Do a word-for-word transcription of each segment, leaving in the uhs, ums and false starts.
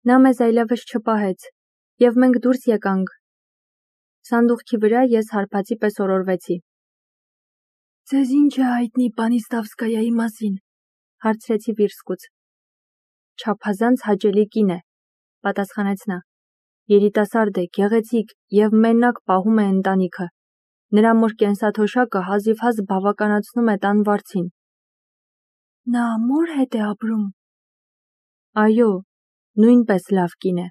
Նա մեզ այլևս չպահեց, և մենք դուրս եկանք։ Սանդուղքի վրա ես հարբածի պես օրորվեցի։ Ձեզ ինչ է հայտնի Պանիստավսկայայի մասին, հարցրեցի Վիրսկուց։ Չափազանց հաճելի կին է, պատասխանեց նա։ Երիտասարդ է, գեղեցիկ և մենակ պահում է ընտանիքը։ Նրա մոր կենսաթոշակը հազիվհազ բավականացնում է տան վարձին։ Նա մոր հետ է ապրում։ Այո, նույնպես լավ կին է։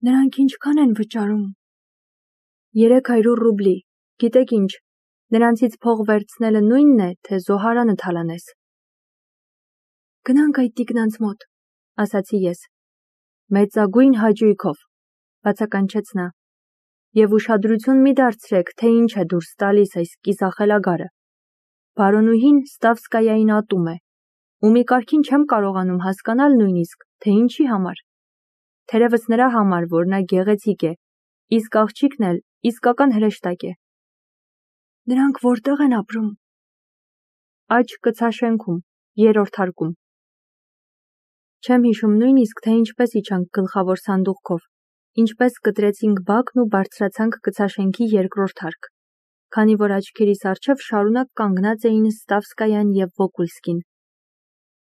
Նրանք ինչքան են վճարում։ Երեք հարյուր ռուբլի, գիտեք ինչ, նրանցից փող վերցնելը նույնն է, թե զոհարանը թալանես։ Գնանք այդ տիկնանց մոտ, ասացի ես։ Մեծագույն հաճույքով, բացականչեց նա, և ուշադրություն մի դարձրեք, թե ինչ է դուրս տալիս այս կիսախելագարը։ Բարոնուհին Ստավսկայային ատում է, ու մի կարգին չեմ կարողանում հասկանալ նույնիսկ, թե ինչի համար։ Թերևս նրա համար, որ նա գեղեցիկ է, իսկ աղջիկն էլ իսկական հրեշտակ է։ Նրանք որտեղ են ապրում։ Աջ կցաշենքում, երրորդ հարկում։ Չեմ հիշում նույնիսկ, թե ինչպես իջանք գլխավոր սանդուղքով, ինչպես կտրեցինք բակն ու բարձրացանք կցաշենքի երկրորդ հարկ, քանի որ աչքերիս առջև շարունակ կանգնած էին Ստավսկայան և Վոկուլսկին։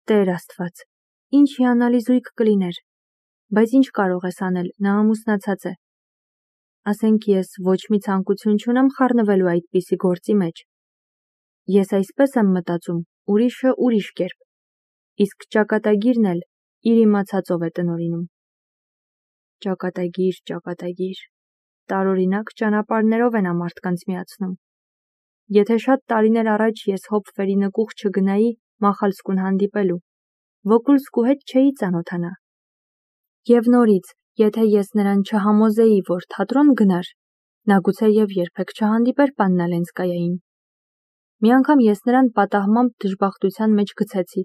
Տեր Աստված, ինչ հիանալի զույգ կլիներ, բայց ինչ կարող ես անել, նա ամուսնացած է։ Ասենք ես ոչ մի ցանկություն չունեմ խառնվելու այդպիսի գործի մեջ։ Ես այսպես եմ մտածում, ուրիշը ուրիշ կերպ, իսկ ճակատագիրն էլ իր իմացածով է տնօրինում։ Ճակատագիր, ճակատագիր, տարօրինակ ճանապարհներով են ամարդկանց միացնում։ Եթե շատ տարիներ առաջ ես Հոփվերի նկուղ չգնայի Մախալսկուն հանդիպելու, Վոկուլսկու հետ չէի ծանոթանա։ Եվ նորից, եթե ես նրան չհամոզեի, որ թատրոն գնար, նա գուցեև երբեք չհանդիպեր Պաննա Լենսկայային։ Մի անգամ ես նրան պատահմամբ դժբախտության մեջ գցեցի։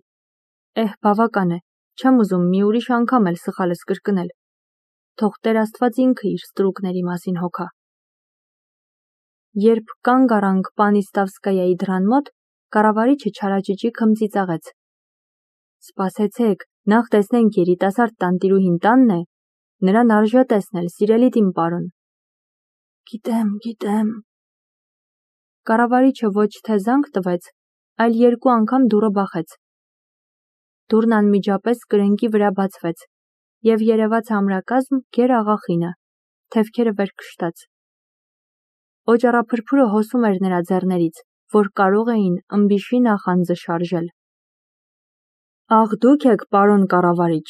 Էհ, բավական է, չեմ ուզում մի ուրիշ անգամ էլ սխալս կրկնել։ Թող Տեր Աստված ինքը իր ստրուկների մասին հոգա։ Երբ կանգ առանք Պանիստավսկայայի դռան մոտ, կառավարիչը չարաճճի քմծիծաղեց։ Սպասեցեք, նախ տեսնենք երիտասարդ տանտիրուհին տանն է, նրան արժե տեսնել, սիրելի իմ պարոն։ Գիտեմ, գիտեմ։ Կառավարիչը ոչ թե զանգ տվեց, այլ երկու անգամ դուռը բախեց։ Դուռն անմիջապես կրնկի վրա բացվեց, և երևաց ամրակազմ Գեր աղախինը, թևքերը վեր քշտած։ Օճառափրփուրը հոսում էր նրա ձեռներից, որ կարող էին ըմբիշի նախանձը շարժել։ Ախ, դուք եք, պարոն կառավարիչ,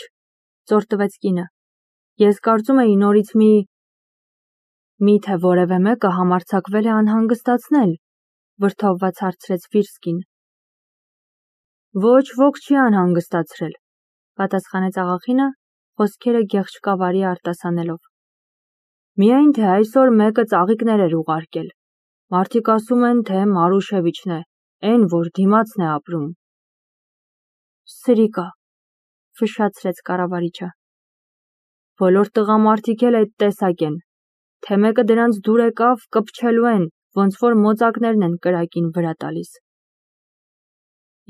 ծորտվեց կինը։ Ես կարծում էի նորից մի… Միթե որևէ մեկը համարձակվել է անհանգստացնել, վրդովված հարցրեց Վիրսկին։ Ոչ ոք չի անհանգստացրել, պատասխանեց աղախինը, խոսքերը գեղչկավարի արտասանելով։ Միայն թե այսօր մեկը ծաղիկներ էր ուղարկել։ Մարդիկ ասում են, թե Մարուշևիչն է, էն որ դիմացն է ապրում։ Սրիկա, ֆշշացրեց կառավարիչը։ Բոլոր տղամարդիկ էլ այդ տեսակ են, թե մեկը դրանց դուր եկավ, կպչելու են, ոնց որ մոծակներն են կրակին վրա տալիս։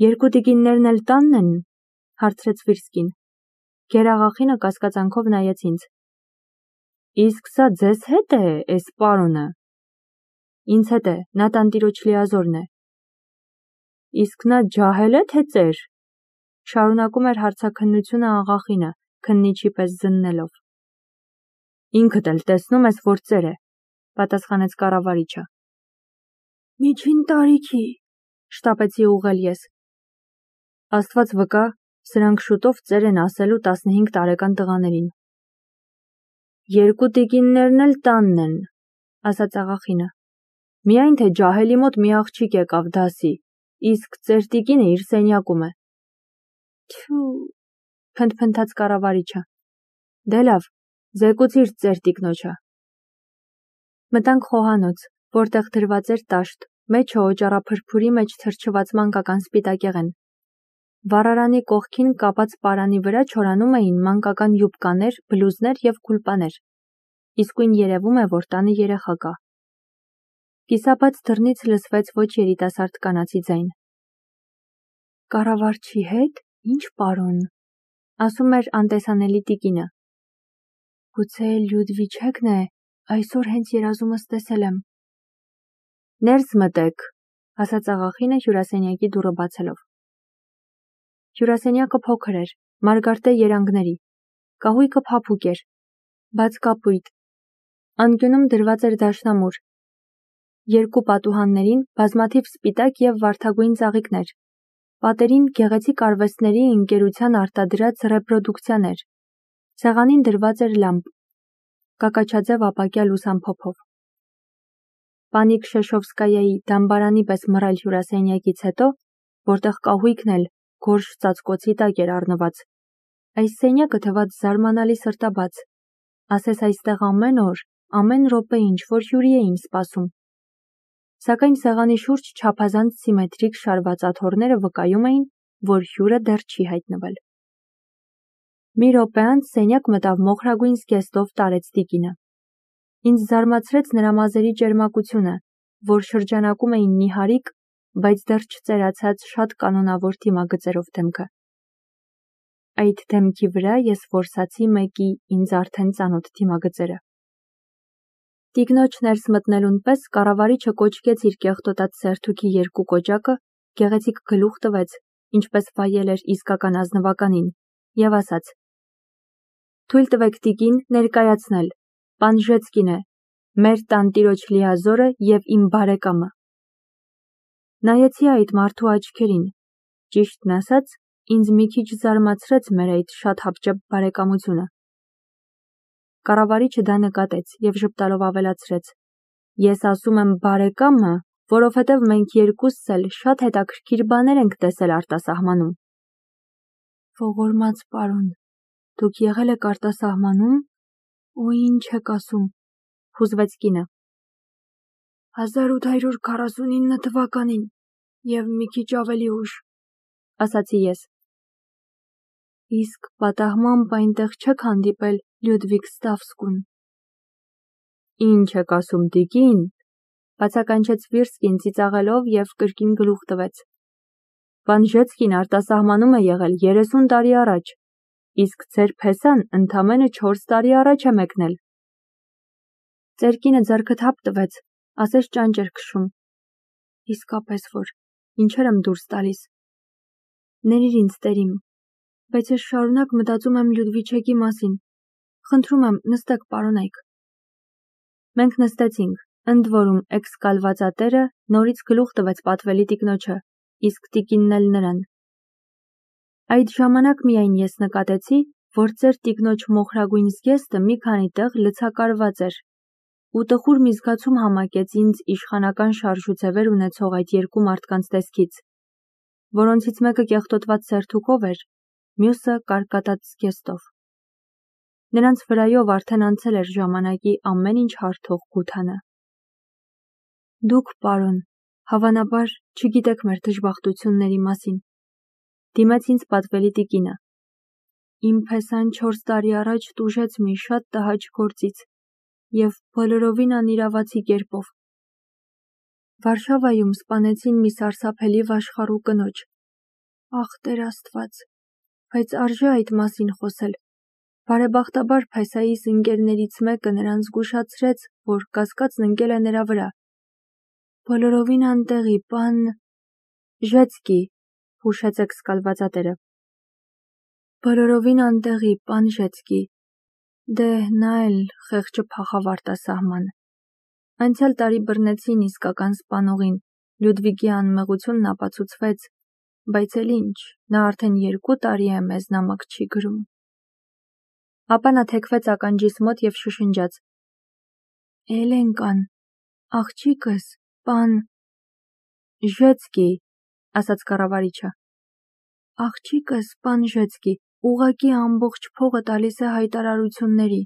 Երկու տիկիններն էլ տանն են, հարցրեց Վիրսկին։ Գերաղախինը կասկածանքով նայեց ինձ։ Իսկ սա ձեզ հետ է, էս պարոնը։ Ինձ հետ է, նա տանտիրոջ լիազորն է։ Իսկ նա ջահել է, թե ծեր, շարունակում էր հարցաքննությունը աղախինը, քննիչի պես զննելով։ Ինքդ էլ տեսնում ես, որ ծեր է, պատասխանեց կառավարիչը։ Միջին տարիքի, շտապեցի ուղղել ես։ Աստված վկա, սրանք շուտով ծեր են ասելու տասնհինգ տարեկան տղաներին։ Երկու տիկիններն էլ տանն են, ասաց աղախինը։ Միայն թե ջահելի մոտ մի աղջիկ եկավ դասի, իսկ ծեր տիկինը իր սենյակում է։ Թյու, փնթփնթաց կառավարիչը։ Դե լավ, զեկուցիր ծեր տիկնոջը։ Մտանք խոհանոց, որտեղ դրված էր տաշտ, մեջը օճառափրփուրի մեջ թրջված մանկական սպիտակեղեն։ Վառարանի կողքին կապած պարանի վրա չորանում էին մանկական յուբկաներ, բլուզներ և քուլպաներ։ Իսկույն երևում է, որ տանը երեխա կա։ Կիսաբաց դռնից լսվեց ոչ երիտասարդ կանացի ձայն։ Կառավարչի հետ, ինչ պարոն։ ասում էր անտեսանելի տիկինը։ Գուցե Լյուդվիչեկն է, այսօր հենց երազումս տեսել եմ։ Ներս մտեք, ասաց աղախինը հյուրասենյակի դուռը բացելով։ Հյուրասենյակը փոքր էր, մարգարտե երանգների, կահույքը փափուկ էր, բաց կապույտ, անկյունում դրված էր դաշնամուր, երկու պատուհաններին բազմաթիվ սպիտակ և վարդագույն ծաղիկներ, պատերին գեղեցիկ արվեստների ընկերության արտադրած ռեպրոդուկցիաներ, սեղանին դրված էր լամպ, կակաչաձև ապակյա լուսամփոփով։ Պանիկ Շեշովսկայայի դամբարանի պես մռայլ հյուրասենյակից հետո, որտեղ կահույքն էլ գորշ ծածկոցի տակ էր առնված, այս սենյակը թվաց զարմանալի սրտաբաց, ասես այստեղ ամեն օր, ամեն րոպե ինչ-որ հյուրի էին սպասում։ Սակայն սեղանի շուրջ չափազանց սիմետրիկ շարված աթոռները վկայում էին, որ հյուրը դեռ չի հայտնվել։ Մի րոպե անց սենյակ մտավ մոխրագույն զգեստով տարեց տիկինը։ Ինձ զարմացրեց նրա մազերի ճերմակությունը, որ շրջանակում էին նիհարիկ, բայց դեռ չծերացած շատ կանոնավոր դիմագծերով դեմքը։ Այդ դեմքի վրա ես որսացի մեկի ինձ արդեն ծանոթ դիմագծերը։ Տիկնոջ ներս մտնելուն պես կառավարիչը կոչկեց իր կեղտոտած սերթուքի երկու կոճակը, գեղեցիկ գլուխ տվեց, ինչպես վայել էր իսկական ազնվականին, և ասաց. Թույլ տվեք տիկին ներկայացնել, պան Ժեցկին է, մեր տանտիրոջ լիազորը և իմ բարեկամը։ Նայեցի այդ մարդու աչքերին, ճիշտն ասած, ինձ մի քիչ զարմացրեց մեր այդ շատ հապճեպ բարեկամությունը։ Կառավարիչը դա նկատեց և ժպտալով ավելացրեց. Ես ասում եմ բարեկամը, որովհետև մենք երկուսս էլ շատ հետաքրքիր բաներ ենք տեսել արտասահմանում։ Ողորմած պարոն, դուք եղել եք արտասահմանում, ու ինչ եք ասում, հուզվեց կինը։ հազար ութ հարյուր քառասունինը թվականին և մի քիչ ավելի ուշ, ասացի ես։ Իսկ պատահմամբ այնտեղ չեք հանդիպել Լյուդվիգ Ստավսկուն։ Ինչ եք ասում տիկին, բացականչեց Վիրսկին ծիծաղելով և կրկին գլուխ տվեց։ Պան Ժեցկին արտասահմանում է եղել երեսուն տարի առաջ, իսկ ձեր փեսան ընդամենը չորս տարի առաջ է մեկնել։ Ձեր կինը ձեռքը թափ տվեց, ասես ճանճ էր քշում։ Իսկապես որ, ինչեր եմ դուրս տալիս։ Ներիր ինձ տերիմ, բայց ես շարունակ մտածում եմ Լյուդվիչեկի մասին։ Խնդրում եմ, նստեք պարոնայք։ Մենք նստեցինք, ընդ որում էքսկալվածատերը նորից գլուխ տվեց պատվելի տիկնոջը, իսկ տիկինն էլ նրան։ Այդ ժամանակ միայն ես նկատեցի, որ ձեր տիկնոջ մոխրագույն զգեստը մի քանի տեղ լցակարված էր, ու տխուր մի զգացում համակեց ինձ իշխանական շարժուձևեր ունեցող այդ երկու մարդկանց տեսքից, որոնցից մեկը կեղտոտված սերթուքով էր, մյուսը կարկատած զգեստով։ Նրանց վրայով արդեն անցել էր ժամանակի ամեն ինչ հարթող Գութանը։ Դուք, պարոն, հավանաբար չգիտեք մեր դժբախտությունների մասին, դիմեց ինձ պատվելի տիկինը։ Իմ փեսան չորս տարի առաջ տուժեց մի շատ տհաճ գործից և բոլորովին անիրավացի կերպով։ Վարշավայում սպանեցին մի սարսափելի վաշխառու կնոջ։ Ախ, Տեր Աստված, բայց արժե այդ մասին խոսել։ Բարեբախտաբար փեսայիս ընկերներից մեկը նրան զգուշացրեց, որ կասկածն ընկել է նրա վրա։ Բոլորովին անտեղի, պան Ժեցկի, հուշեց էքսկալվածատերը։ Բոլորովին անտեղի, պան Ժեցկի։ Դե, նա էլ խեղճը փախավ արտասահման։ Անցյալ տարի բռնեցին իսկական սպանողին, Լյուդվիգի անմեղությունն ապացուցվեց, բայց էլ ինչ, նա արդեն երկու տարի է մեզ նամակ չի գրում։ Ապա նա թեքվեց ականջիս մոտ և շշնջաց. Էլենկան, աղջիկս, պան Ժեցկի, ասաց կառավարիչը։ Աղջիկս, պան Ժեցկի, ուղղակի ամբողջ փողը տալիս է հայտարարությունների։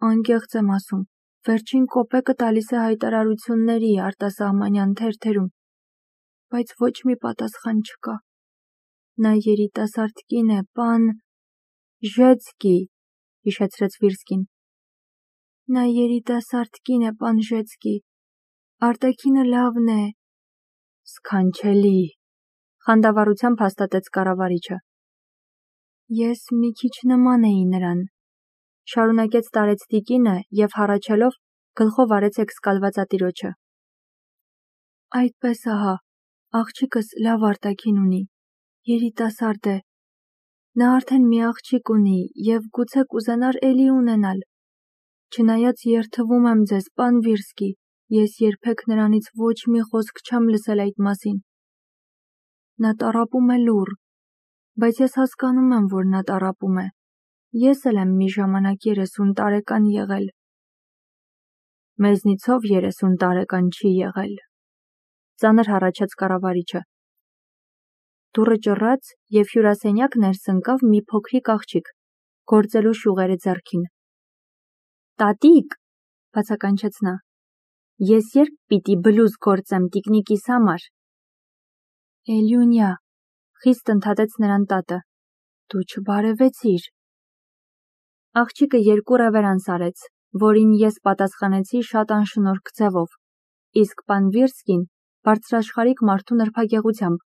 Անկեղծ եմ ասում, վերջին կոպեկը տալիս է հայտարարությունների արտասահմանյան թերթերում, բայց ոչ մի պատասխան չկա։ Նա երիտասարդ կին է, պան Ժեցկի, հիշեցրեց Վիրսկին։ Նա երիտասարդ կին է, պան Ժեցկի։ Արտաքինը լավն է։ Սքանչելի, խանդավառությամբ հաստատեց կառավարիչը։ Ես մի քիչ նման էի նրան, շարունակեց տարեց տիկինը և հառաչելով գլխով արեց էքսկալվածատիրոջը։ Այդպես ահա, աղջիկս լավ արտաքին ունի, երիտասարդ է։ Նա արդեն մի աղջիկ ունի և գուցե կուզենար էլի ունենալ։ Չնայած երդվում եմ ձեզ, պան Վիրսկի, ես երբեք նրանից ոչ մի խոսք չեմ լսել այդ մասին։ Նա տառապում է լուռ, բայց ես հասկանում եմ, որ նա տառապում է։ Ես էլ եմ մի ժամանակ երեսուն տարեկան եղել։ Մեզնիցով երեսուն տարեկան չի եղել, ծանր հառաչեց կառավարիչը։ Դուռը ճռռաց և հյուրասենյակ ներս ընկավ մի փոքրիկ աղջիկ, գործելու շյուղերը ձեռքին։ Տատիկ, բացականչեց նա, ես երբ պիտի բլուզ գործեմ տիկնիկիս համար։ Էլյունյա, խիստ ընդհատեց նրան տատը, դու չբարևեցիր։ Աղջիկը երկու ռևերանս արեց, որին ես պատասխանեցի շատ անշնորհք ձևով, իսկ պան Վիրսկին բարձրաշխարհիկ մարդու նրբագեղությամբ,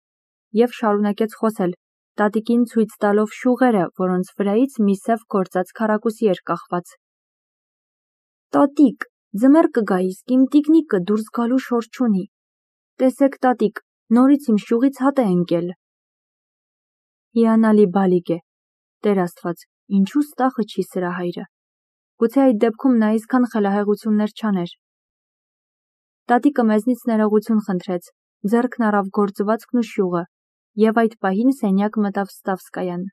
և շարունակեց խոսել, տատիկին ցույց տալով շյուղերը, որոնց վրայից մի սև գործած քառակուսի էր կախված։ Տատիկ, ձմեռ կգա, իսկ իմ տիկնիկը դուրս գալու շոր չունի։ Տեսեք, տատիկ, նորից իմ շյուղից հատ է ընկել։ Հիանալի բալիկ է, Տեր Աստված, ինչու ստախը չի սրա հայրը։ Գուցե այդ դեպքում նա այսքան խելահեղություններ չաներ։ Տատիկը մեզնից ներողություն խնդրեց, ձեռքն առավ գործվածքն ու շյուղը, և այդ պահին սենյակ մտավ Ստավսկայան։